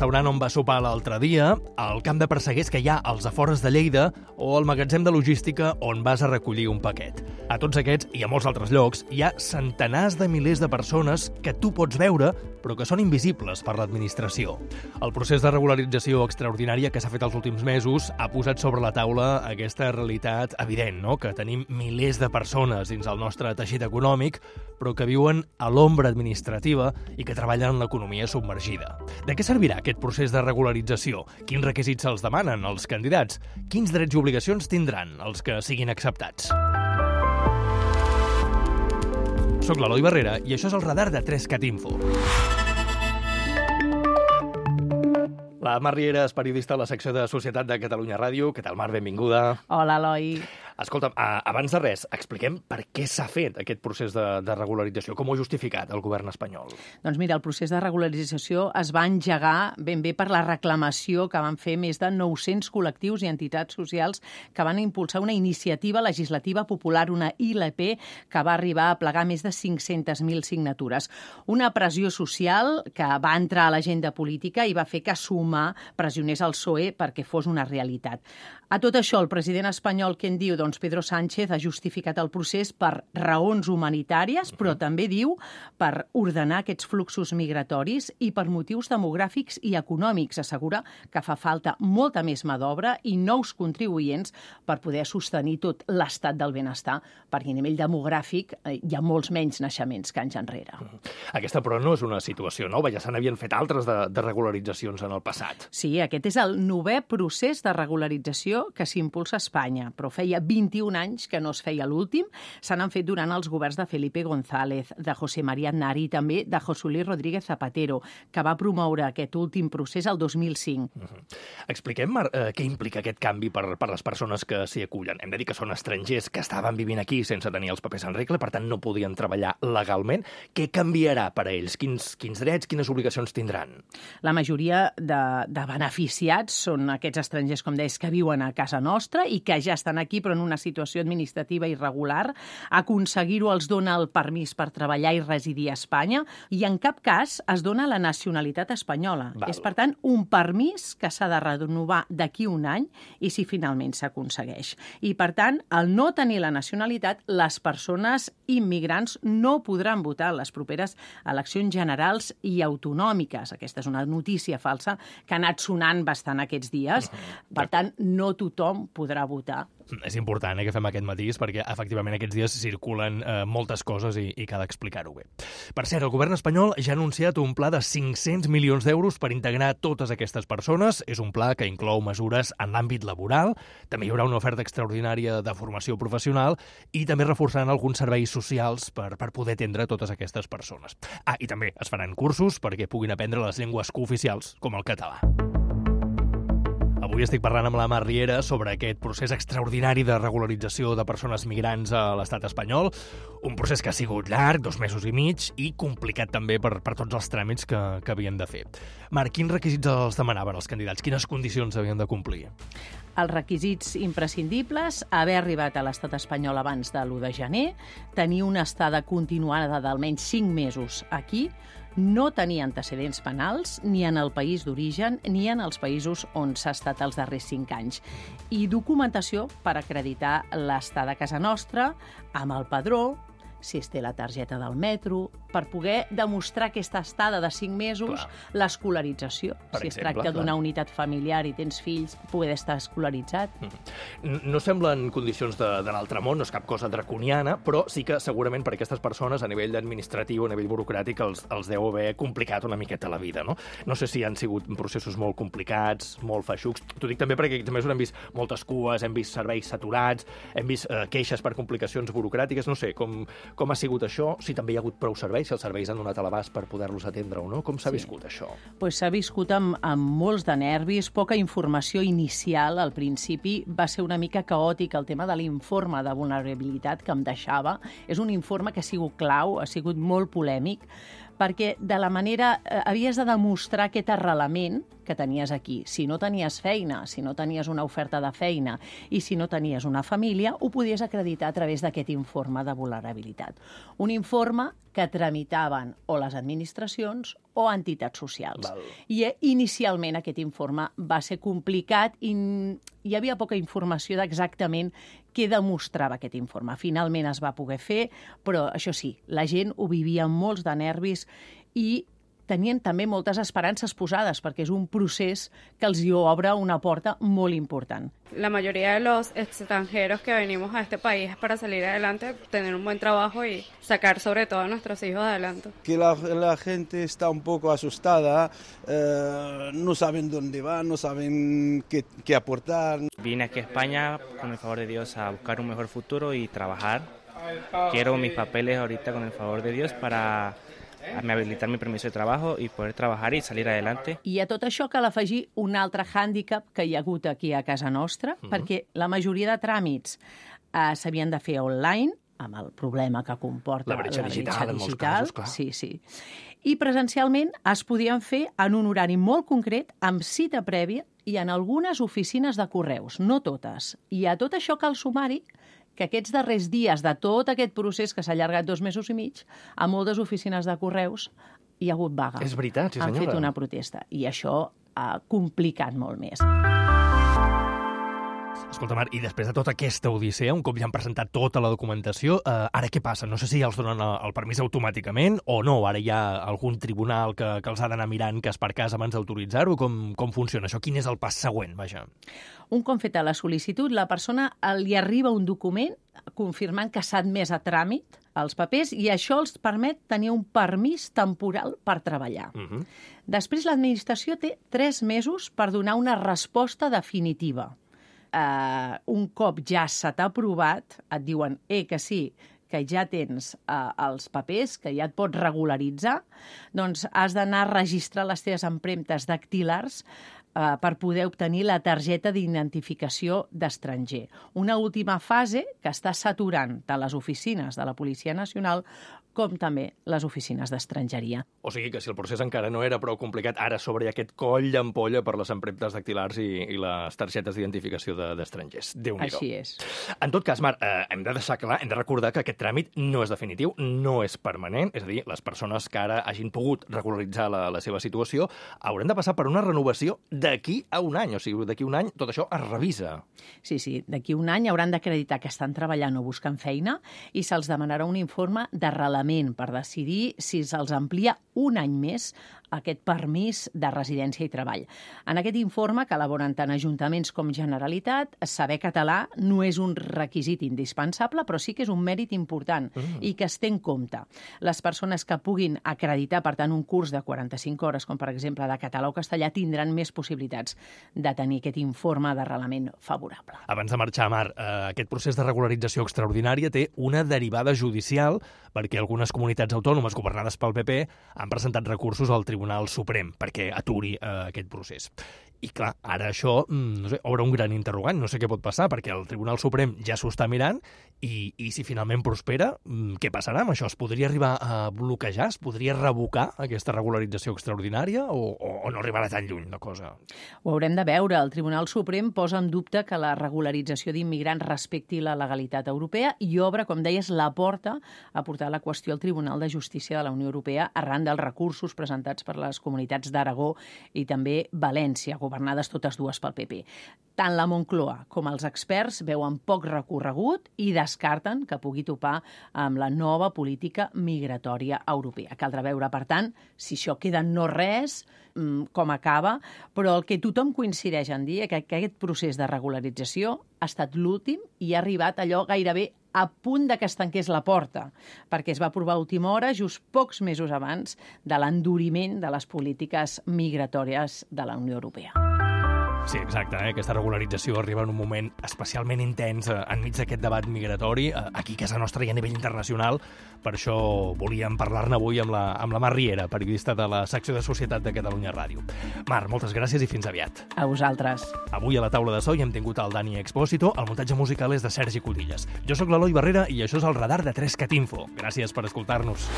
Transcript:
restaurant on va sopar l'altre dia, al camp de perseguers que hi ha als afores de Lleida o al magatzem de logística on vas a recollir un paquet. A tots aquests i a molts altres llocs hi ha centenars de milers de persones que tu pots veure però que són invisibles per l'administració. El procés de regularització extraordinària que s'ha fet els últims mesos ha posat sobre la taula aquesta realitat evident, no? Que tenim milers de persones dins el nostre teixit econòmic, però que viuen a l'ombra administrativa i que treballen en l'economia submergida. De què servirà aquest procés de regularització? Quins requisits se'ls demanen als candidats? Quins drets i obligacions tindran els que siguin acceptats? Soc l'Eloi Barrera i això és el radar de 3cat Info. La Mar Riera és periodista a la secció de Societat de Catalunya Ràdio. Què tal, Mar? Benvinguda. Hola, Eloi. Escolta'm, abans de res, expliquem per què s'ha fet aquest procés de regularització. Com ho ha justificat el govern espanyol? Doncs mira, el procés de regularització es va engegar ben bé per la reclamació que van fer més de 900 col·lectius i entitats socials que van impulsar una iniciativa legislativa popular, una ILP, que va arribar a plegar més de 500.000 signatures. Una pressió social que va entrar a l'agenda política i va fer que Sumar pressionés el PSOE perquè fos una realitat. A tot això, el president espanyol, què en diu? Doncs Pedro Sánchez ha justificat el procés per raons humanitàries, però també diu per ordenar aquests fluxos migratoris i per motius demogràfics i econòmics. Assegura que fa falta molta més mà d'obra i nous contribuents per poder sostenir tot l'estat del benestar, perquè a nivell demogràfic hi ha molts menys naixements que anys enrere. Aquesta, però, no és una situació nova. Ja se n'havien fet altres de regularitzacions en el passat. Sí, aquest és el 9è procés de regularització que s'impulsa a Espanya, però feia 21 anys que no es feia l'últim. Se n'han fet durant els governs de Felipe González, de José María Aznar i també de José Luis Rodríguez Zapatero, que va promoure aquest últim procés el 2005. Expliquem, Mar, què implica aquest canvi per les persones que s'hi acullen. Hem de dir que són estrangers que estaven vivint aquí sense tenir els papers en regla, per tant no podien treballar legalment. Què canviarà per a ells? Quins drets, quines obligacions tindran? La majoria de beneficiats són aquests estrangers, com deies, que viuen a casa nostra i que ja estan aquí però en una situació administrativa irregular. Aconseguir-ho els dona el permís per treballar i residir a Espanya i en cap cas es dona la nacionalitat espanyola. És, per tant, un permís que s'ha de renovar d'aquí un any i si finalment s'aconsegueix. I, per tant, al no tenir la nacionalitat, les persones immigrants no podran votar en les properes eleccions generals i autonòmiques. Aquesta és una notícia falsa que ha anat sonant bastant aquests dies. Per tant, no tothom podrà votar. És important que fem aquest matís perquè, efectivament, aquests dies circulen moltes coses i cal explicar-ho bé. Per cert, el govern espanyol ja ha anunciat un pla de 500 milions d'euros per integrar totes aquestes persones. És un pla que inclou mesures en l'àmbit laboral, també hi haurà una oferta extraordinària de formació professional i també reforçaran alguns serveis socials per poder atendre totes aquestes persones. I també es faran cursos perquè puguin aprendre les llengües cooficials, com el català. Avui estic parlant amb la Mar Riera sobre aquest procés extraordinari de regularització de persones migrants a l'estat espanyol, un procés que ha sigut llarg, 2 mesos i mig, i complicat també per tots els tràmits que havien de fer. Mar, quins requisits els demanaven els candidats? Quines condicions havien de complir? Els requisits imprescindibles: haver arribat a l'estat espanyol abans de l'1 de gener, tenir una estada continuada d'almenys 5 mesos aquí, no tenir antecedents penals ni en el país d'origen ni en els països on s'ha estat els darrers 5 anys. I documentació per acreditar l'estada a casa nostra, amb el padró, si es té la targeta del metro, per poder demostrar aquesta estada de 5 mesos, l'escolarització. Si es tracta d'una unitat familiar i tens fills, poder estar escolaritzat. No semblen condicions de l'altre món, no és cap cosa draconiana, però sí que segurament per aquestes persones, a nivell administratiu, a nivell burocràtic, els deu haver complicat una miqueta la vida, no? No sé si han sigut processos molt complicats, molt feixucs. T'ho dic també perquè també hem vist moltes cues, hem vist serveis saturats, hem vist queixes per complicacions burocràtiques, no sé, com ha sigut això, si també hi ha hagut prou serveis, si els serveis han donat a l'abast per poder-los atendre o no, com s'ha viscut això? S'ha viscut amb molts de nervis, poca informació inicial al principi, va ser una mica caòtic el tema de l'informe de vulnerabilitat que em deixava. És un informe que ha sigut clau, ha sigut molt polèmic, perquè de la manera havies de demostrar aquest arrelament que tenies aquí. Si no tenies feina, si no tenies una oferta de feina i si no tenies una família, ho podies acreditar a través d'aquest informe de vulnerabilitat. Un informe que tramitaven o les administracions o entitats socials. Val. I inicialment aquest informe va ser complicat i hi havia poca informació d'exactament què demostrava aquest informe. Finalment es va poder fer, però això sí, la gent ho vivia amb molts de nervis i tenien també moltes esperances posades, perquè és un procés que els hi obre una porta molt important. La mayoría de los extranjeros que venimos a este país es para salir adelante, tener un buen trabajo y sacar sobre todo a nuestros hijos adelante. Que la gente está un poco asustada, no saben dónde van, no saben qué aportar. Vine aquí a España, con el favor de Dios, a buscar un mejor futuro y trabajar. Quiero mis papeles ahorita, con el favor de Dios, para habilitar mi permiso de trabajo y poder trabajar y salir adelante. I a tot això cal afegir un altre hàndicap que hi ha hagut aquí a casa nostra, perquè la majoria de tràmits s'havien de fer online, amb el problema que comporta La bretxa digital, en molts casos, clar. Sí, sí. I presencialment es podien fer en un horari molt concret, amb cita prèvia i en algunes oficines de correus, no totes. I a tot això cal sumar-hi que aquests darrers dies de tot aquest procés que s'ha allargat 2 mesos i mig, a moltes oficines de correus hi ha hagut vaga. És veritat, sí senyora. Han fet una protesta i això ha complicat molt més. Escolta, Mar, i després de tota aquesta odissea, un cop ja han presentat tota la documentació, ara què passa? No sé si ja els donen el permís automàticament o no. Ara hi ha algun tribunal que els ha d'anar mirant cas per cas abans d'autoritzar-ho. Com funciona això? Quin és el pas següent, vaja? Un cop feta la sol·licitud, la persona li arriba un document confirmant que s'ha admès a tràmit els papers i això els permet tenir un permís temporal per treballar. Després, l'administració té 3 mesos per donar una resposta definitiva. Un cop ja se t'ha aprovat, et diuen que sí, que ja tens els papers, que ja et pots regularitzar, doncs has d'anar a registrar les teves empremtes dactilars per poder obtenir la targeta d'identificació d'estranger. Una última fase que està saturant tant les oficines de la Policia Nacional com també les oficines d'estrangeria. O sigui que si el procés encara no era prou complicat, ara sobre aquest coll d'ampolla per les empremtes dactilars i les targetes d'identificació d'estrangers. Déu-n'hi-do. Així és. En tot cas, Mar, hem de deixar clar, hem de recordar que aquest tràmit no és definitiu, no és permanent, és a dir, les persones que ara hagin pogut regularitzar la seva situació hauran de passar per una renovació d'aquí a un any. O sigui, d'aquí a un any tot això es revisa. Sí, d'aquí a un any hauran d'acreditar que estan treballant o buscant feina i se'ls demanarà un informe d'arrelament per decidir si se'ls amplia un any més aquest permís de residència i treball. En aquest informe, que elaboren tant ajuntaments com Generalitat, saber català no és un requisit indispensable, però sí que és un mèrit important i que es té en compte. Les persones que puguin acreditar, per tant, un curs de 45 hores, com per exemple de català o castellà, tindran més possibilitats de tenir aquest informe d'arrelament favorable. Abans de marxar, Mar, aquest procés de regularització extraordinària té una derivada judicial perquè algunes comunitats autònomes governades pel PP han presentat recursos al Tribunal Suprem perquè aturi aquest procés. I clar, ara això, no sé, obre un gran interrogant, no sé què pot passar, perquè el Tribunal Suprem ja s'ho està mirant i si finalment prospera, què passarà amb això? Es podria arribar a bloquejar? Es podria revocar aquesta regularització extraordinària o no arribarà tan lluny la cosa? Ho haurem de veure. El Tribunal Suprem posa en dubte que la regularització d'immigrants respecti la legalitat europea i obre, com deies, la porta a portar la qüestió al Tribunal de Justícia de la Unió Europea arran dels recursos presentats per les comunitats d'Aragó i també València, governades totes dues pel PP. Tant la Moncloa com els experts veuen poc recorregut i descarten que pugui topar amb la nova política migratòria europea. Caldrà veure, per tant, si això queda en no res, com acaba, però el que tothom coincideix en dir que aquest procés de regularització ha estat l'últim i ha arribat allò gairebé a punt de que es tanqués la porta, perquè es va aprovar a última hora, just pocs mesos abans de l'enduriment de les polítiques migratòries de la Unió Europea. Sí, exacte. Aquesta regularització arriba en un moment especialment intens enmig d'aquest debat migratori, aquí a casa nostra i a nivell internacional. Per això volíem parlar-ne avui amb la Mar Riera, periodista de la secció de Societat de Catalunya Ràdio. Mar, moltes gràcies i fins aviat. A vosaltres. Avui a la taula de so hi hem tingut el Dani Expósito, el muntatge musical és de Sergi Codillas. Jo sóc l'Eloi Barrera i això és el Radar de 3CAT Info. Gràcies per escoltar-nos.